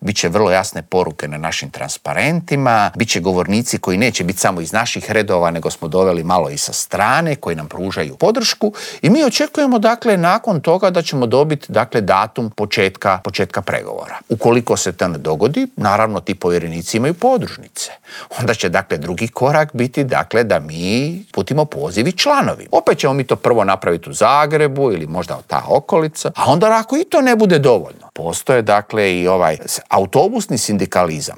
Biće vrlo jasne poruke na našim transparentima, bit će govornici koji neće biti samo iz naših redova, nego smo doveli malo i sa strane, koji nam pružaju podršku i mi očekujemo dakle nakon toga da ćemo dobiti dakle datum početka pregovora. Ukoliko se to ne dogodi, naravno ti povjerenici imaju podružnice. Onda će dakle drugi korak biti dakle da mi putimo poziv i članovi. Opet ćemo mi to prvo napraviti u Zagrebu ili možda ta okolica, a onda ako i to ne bude dovoljno, postoje dakle i ovaj autobusni sindikalizam